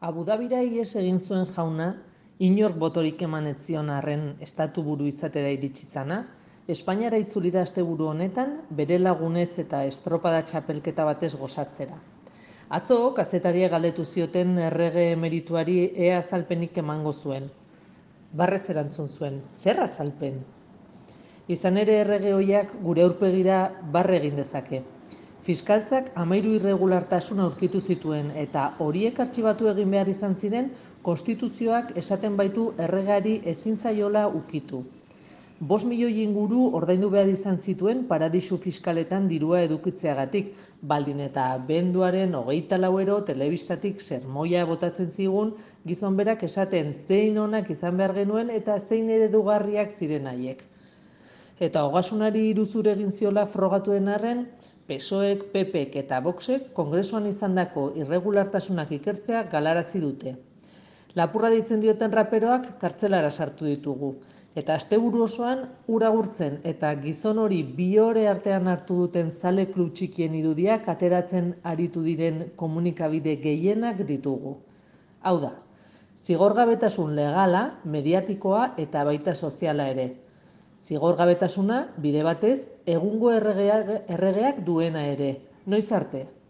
Abu Dhabira ihes egin zuen jauna, inork botorik eman ez zion arren estatuburu izatera iritsi zana, Espainiara itzuli da asteburu honetan bere lagunez eta estropada txapelketa batez gozatzera. Atzo, kazetariek galdetu zioten errege emerituari ea azalpenik emango zuen. Barrez erantzun zuen, zer azalpen? Izan ere errege ohiak gure aurpegira barre egin dezake. Fiskaltzak 13 irregulartasun aurkitu zituen eta horiek artxibatu egin behar izan ziren konstituzioak esaten baitu erregeari ezin zaiola ukitu. 5 milioi inguru ordaindu behar izan zituen paradisu fiskaletan dirua edukitzeagatik, baldin eta abenduaren 24 telebistatik sermoia botatzen zigun gizon berak esaten zein onak izan behar genuen eta zein eredugarriak ziren haiek. Eta ogasunari iruzur egin ziola frogatuen arren, PSOEk, PPek eta Voxek kongresuan izandako irregulartasunak ikertzea galarazi dute. Lapurra deitzen dioten raperoak kartzelara sartu ditugu. Eta asteburu osoan ura agurtzen eta gizon hori bi ore artean hartu duten zale klub txikien irudiak ateratzen aritu diren komunikabide gehienak ditugu. Hau da, zigorgabetasun legala, mediatikoa eta baita soziala ere. Zigorgabetasuna, bide batez, egungo erregeak duena ere. Noiz arte?